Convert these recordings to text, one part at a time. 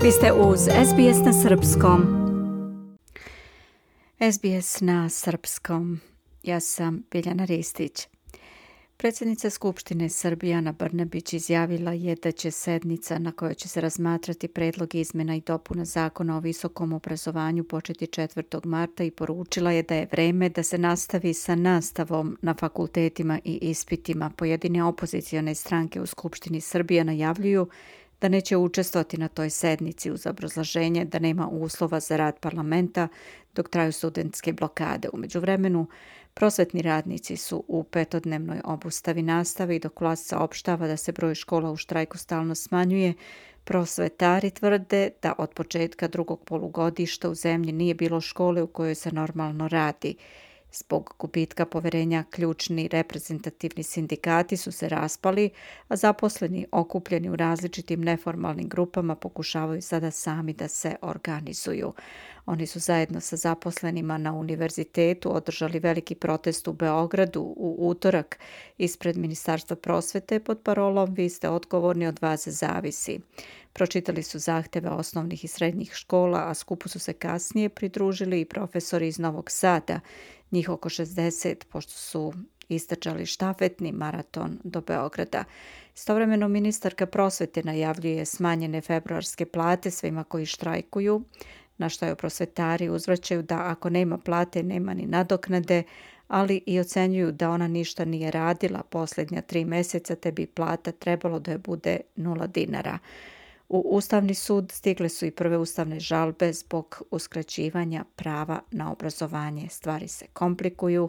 Vi ste uz SBS na srpskom. SBS na srpskom. Ja sam Biljana Ristić. Predsjednica Skupštine Srbije Ana Brnabić izjavila je da će sednica na kojoj će se razmatrati predlog izmjena i dopuna Zakona o visokom obrazovanju početi 4. marta i poručila je da je vreme da se nastavi sa nastavom na fakultetima i ispitima. Pojedine opozicione stranke u Skupštini Srbije najavljuju da neće učestvovati na toj sednici uz obrazloženje da nema uslova za rad parlamenta dok traju studentske blokade. U međuvremenu, prosvetni radnici su u petodnevnoj obustavi nastave i dok vlast saopštava da se broj škola u štrajku stalno smanjuje, prosvetari tvrde da od početka drugog polugodišta u zemlji nije bilo škole u kojoj se normalno radi. Zbog gubitka poverenja ključni reprezentativni sindikati su se raspali, a zaposleni okupljeni u različitim neformalnim grupama pokušavaju sada sami da se organizuju. Oni su zajedno sa zaposlenima na univerzitetu održali veliki protest u Beogradu u utorak ispred Ministarstva prosvete pod parolom "Vi ste odgovorni, od vas zavisi". Pročitali su zahteve osnovnih i srednjih škola, a skupu su se kasnije pridružili i profesori iz Novog Sada, njih oko 60, pošto su istrčali štafetni maraton do Beograda. Istovremeno ministarka prosvete najavljuje smanjene februarske plate svima koji štrajkuju, na što joj prosvetari uzvraćaju da ako nema plate, nema ni nadoknade, ali i ocenjuju da ona ništa nije radila posljednja 3 mjeseca, te bi plata trebalo da je bude 0 dinara. U Ustavni sud stigle su i prve ustavne žalbe zbog uskraćivanja prava na obrazovanje. Stvari se komplikuju,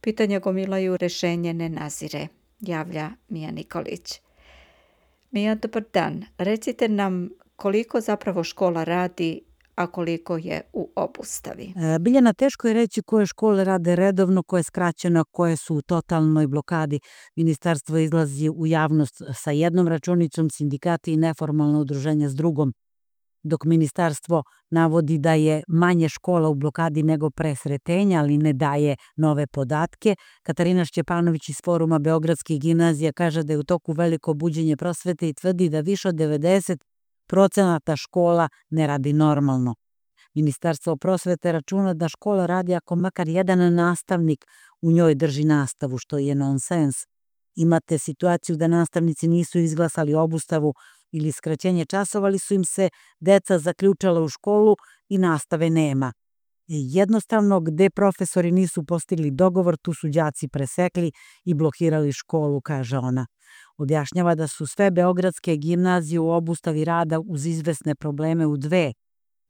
pitanja gomilaju, rešenje ne nazire, javlja Mija Nikolić. Mija, dobar dan. Recite nam koliko zapravo škola radi, a koliko je u obustavi? Biljana, teško je reći koje škole rade redovno, koje skraćeno, koje su u totalnoj blokadi. Ministarstvo izlazi u javnost sa jednom računicom, sindikati i neformalno udruženja s drugom. Dok ministarstvo navodi da je manje škola u blokadi nego pre sretenja, ali ne daje nove podatke, Katarina Šćepanović iz Foruma Beogradskih gimnazija kaže da je u toku veliko buđenje prosvete i tvrdi da više od 90% škola ne radi normalno. Ministarstvo prosvete računa da škola radi ako makar jedan nastavnik u njoj drži nastavu, što je nonsens. Imate situaciju da nastavnici nisu izglasali obustavu ili skraćenje časova, ali su im se deca zaključala u školu i nastave nema. Jednostavno, gde profesori nisu postigli dogovor, tu su đaci presekli i blokirali školu, kaže ona. Objašnjava da su sve beogradske gimnazije u obustavi rada uz izvesne probleme u 2,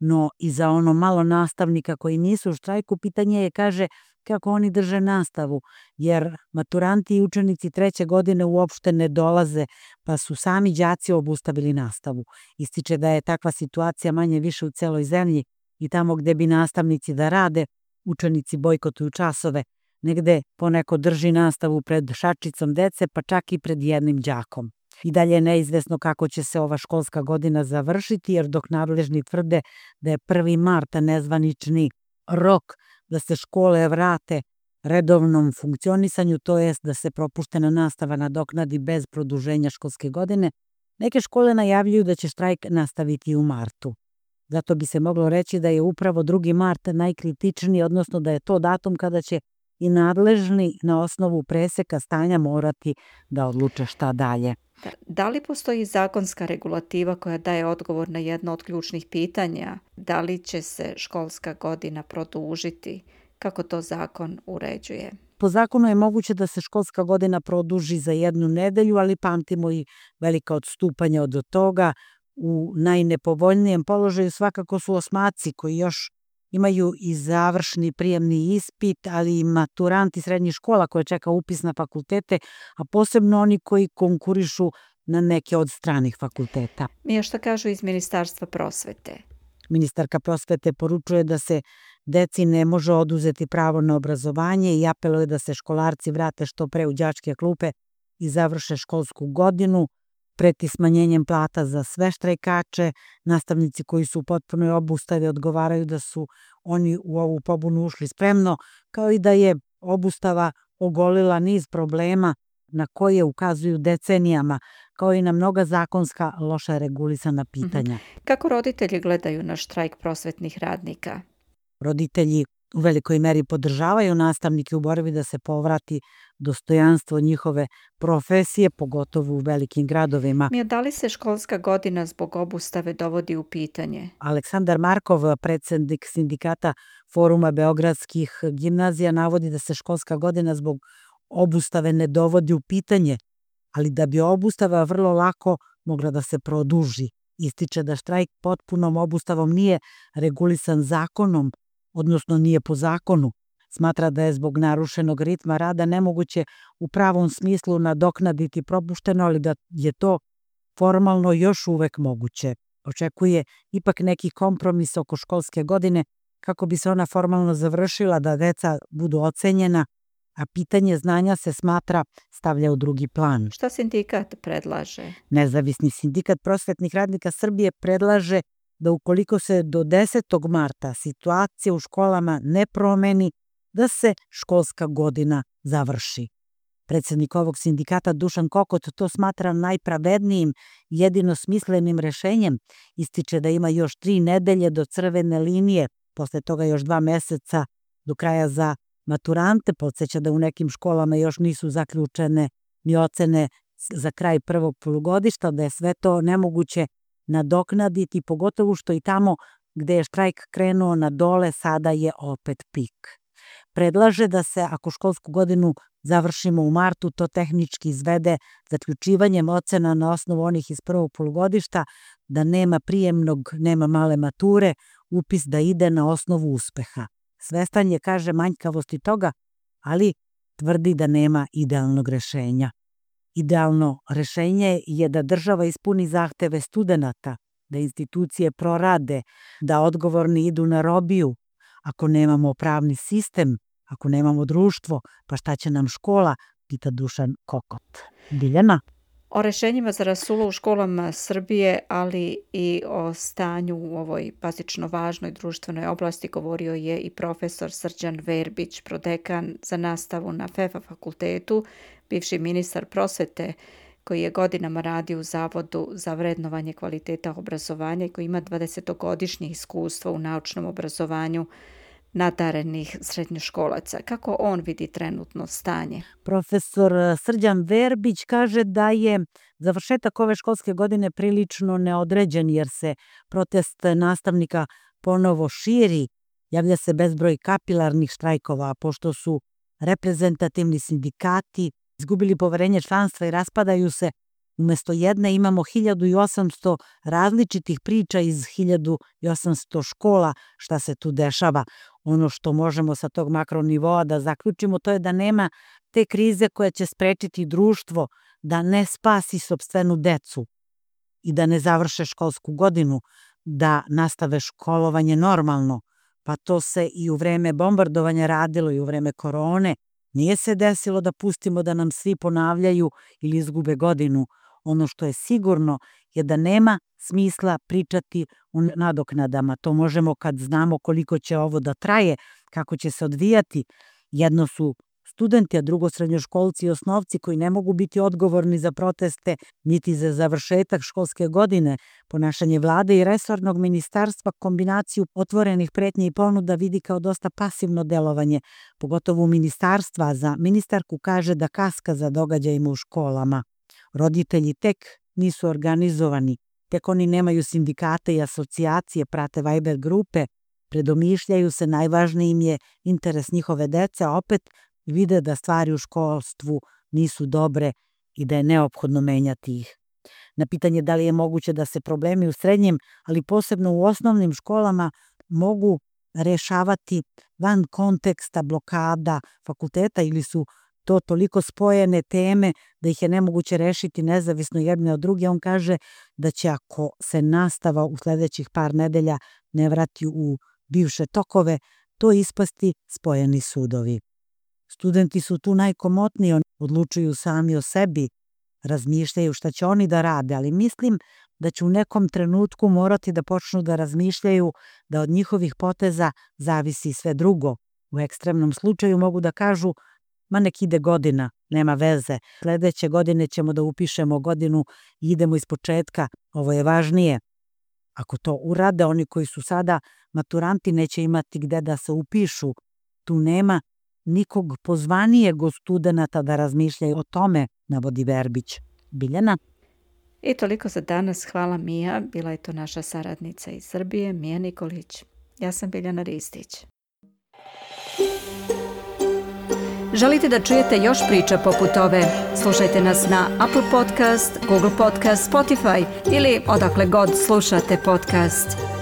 no i za ono malo nastavnika koji nisu u štrajku, pitanje je, kaže, kako oni drže nastavu, jer maturanti i učenici 3. godine uopšte ne dolaze, pa su sami đaci obustavili nastavu. Ističe da je takva situacija manje više u celoj zemlji i tamo gde bi nastavnici da rade, učenici bojkotuju časove. Negde poneko drži nastavu pred šačicom dece, pa čak i pred jednim đakom. I dalje je neizvesno kako će se ova školska godina završiti, jer dok nadležni tvrde da je 1. marta nezvanični rok da se škole vrate redovnom funkcionisanju, to jest da se propuštena nastava nadoknadi bez produženja školske godine, neke škole najavljuju da će štrajk nastaviti u martu. Zato bi se moglo reći da je upravo 2. mart najkritičniji, odnosno da je to datum kada će i nadležni na osnovu preseka stanja morati da odluče šta dalje. Da li postoji zakonska regulativa koja daje odgovor na jedno od ključnih pitanja? Da li će se školska godina produžiti? Kako to zakon uređuje? Po zakonu je moguće da se školska godina produži za 1 nedelju, ali pamtimo i velika odstupanja od toga. U najnepovoljnijem položaju svakako su osmaci koji još imaju i završni prijemni ispit, ali i maturanti srednjih škola koje čeka upis na fakultete, a posebno oni koji konkurišu na neke od stranih fakulteta. Mija, šta kažu iz Ministarstva prosvete? Ministarka prosvete poručuje da se deci ne može oduzeti pravo na obrazovanje i apeluje da se školarci vrate što pre u đačke klupe i završe školsku godinu. Preti smanjenjem plata za sve štrajkače. Nastavnici koji su u potpunoj obustavi odgovaraju da su oni u ovu pobunu ušli spremno, kao i da je obustava ogolila niz problema na koje ukazuju decenijama, kao i na mnoga zakonska loša regulisana pitanja. Kako roditelji gledaju na štrajk prosvetnih radnika? Roditelji u velikoj meri podržavaju nastavnike u borbi da se povrati dostojanstvo njihove profesije, pogotovo u velikim gradovima. Da li se školska godina zbog obustave dovodi u pitanje? Aleksandar Markov, predsednik sindikata Foruma beogradskih gimnazija, navodi da se školska godina zbog obustave ne dovodi u pitanje, ali da bi obustava vrlo lako mogla da se produži. Ističe da štrajk potpunom obustavom nije regulisan zakonom, odnosno nije po zakonu. Smatra da je zbog narušenog ritma rada nemoguće u pravom smislu nadoknaditi propušteno, ali da je to formalno još uvek moguće. Očekuje ipak neki kompromis oko školske godine kako bi se ona formalno završila, da deca budu ocenjena, a pitanje znanja se smatra stavlja u drugi plan. Šta sindikat predlaže? Nezavisni sindikat prosvetnih radnika Srbije predlaže da ukoliko se do 10. marta situacija u školama ne promeni, da se školska godina završi. Predsednik ovog sindikata Dušan Kokot to smatra najpravednijim, jedino smislenim rešenjem. Ističe da ima još 3 nedelje do crvene linije, posle toga još 2 meseca do kraja za maturante. Podseća da u nekim školama još nisu zaključene ni ocene za kraj prvog polugodišta, da je sve to nemoguće nadoknaditi, pogotovo što i tamo gde je štrajk krenuo na dole, sada je opet pik. Predlaže da se, ako školsku godinu završimo u martu, to tehnički izvede zaključivanjem ocena na osnovu onih iz prvog polugodišta, da nema prijemnog, nema male mature, upis da ide na osnovu uspeha. Svestan je, kaže, manjkavosti toga, ali tvrdi da nema idealnog rešenja. Idealno rešenje je da država ispuni zahteve studenata, da institucije prorade, da odgovorni idu na robiju. Ako nemamo pravni sistem, ako nemamo društvo, pa šta će nam škola, pita Dušan Kokot. Biljana? O rešenjima za rasulo u školama Srbije, ali i o stanju u ovoj bazično važnoj društvenoj oblasti govorio je i profesor Srđan Verbić, prodekan za nastavu na FEFA fakultetu, bivši ministar prosvete koji je godinama radio u Zavodu za vrednovanje kvaliteta obrazovanja i koji ima 20-godišnje iskustvo u naučnom obrazovanju nadarenih srednjoškolaca. Kako on vidi trenutno stanje? Profesor Srđan Verbić kaže da je završetak ove školske godine prilično neodređen, jer se protest nastavnika ponovo širi, javlja se bezbroj kapilarnih štrajkova, pošto su reprezentativni sindikati izgubili poverenje članstva i raspadaju se. Umesto jedne imamo 1800 različitih priča iz 1800 škola šta se tu dešava. Ono što možemo sa tog makronivoa da zaključimo, to je da nema te krize koja će sprečiti društvo da ne spasi sopstvenu decu i da ne završe školsku godinu, da nastave školovanje normalno. Pa to se i u vreme bombardovanja radilo i u vreme korone. Nije se desilo da pustimo da nam svi ponavljaju ili izgube godinu. Ono što je sigurno je da nema smisla pričati o nadoknadama. To možemo kad znamo koliko će ovo da traje, kako će se odvijati. Jedno su studenti, a drugo srednjoškolci i osnovci koji ne mogu biti odgovorni za proteste niti za završetak školske godine. Ponašanje vlade i resornog ministarstva kombinaciju otvorenih pretnji i ponuda vidi kao dosta pasivno delovanje, pogotovo ministarstva. Za ministarku kaže da kaska za događajima u školama. Roditelji tek nisu organizovani, tek oni nemaju sindikate i asocijacije, prate Viber grupe, predomišljaju se, najvažniji im je interes njihove dece, a opet vide da stvari u školstvu nisu dobre i da je neophodno menjati ih. Na pitanje da li je moguće da se problemi u srednjim, ali posebno u osnovnim školama mogu rešavati van konteksta blokada fakulteta ili su to toliko spojene teme da ih je nemoguće rešiti nezavisno jedne od druge, on kaže da će, ako se nastava u sledećih par nedelja ne vrati u bivše tokove, to ispasti spojeni sudovi. Studenti su tu najkomotniji, oni odlučuju sami o sebi, razmišljaju šta će oni da rade, ali mislim da će u nekom trenutku morati da počnu da razmišljaju da od njihovih poteza zavisi sve drugo. U ekstremnom slučaju mogu da kažu Ma nek ide godina, nema veze. Sledeće godine ćemo da upišemo godinu i idemo iz početka. Ovo je važnije. Ako to urade, oni koji su sada maturanti neće imati gde da se upišu. Tu nema nikog pozvanijeg od studenata da razmišljaju o tome, navodi Verbić. Biljana? I toliko za danas. Hvala Mija. Bila je to naša saradnica iz Srbije, Mija Nikolić. Ja sam Biljana Ristić. Želite da čujete još priča poput ove? Slušajte nas na Apple Podcast, Google Podcast, Spotify ili odakle god slušate podcast.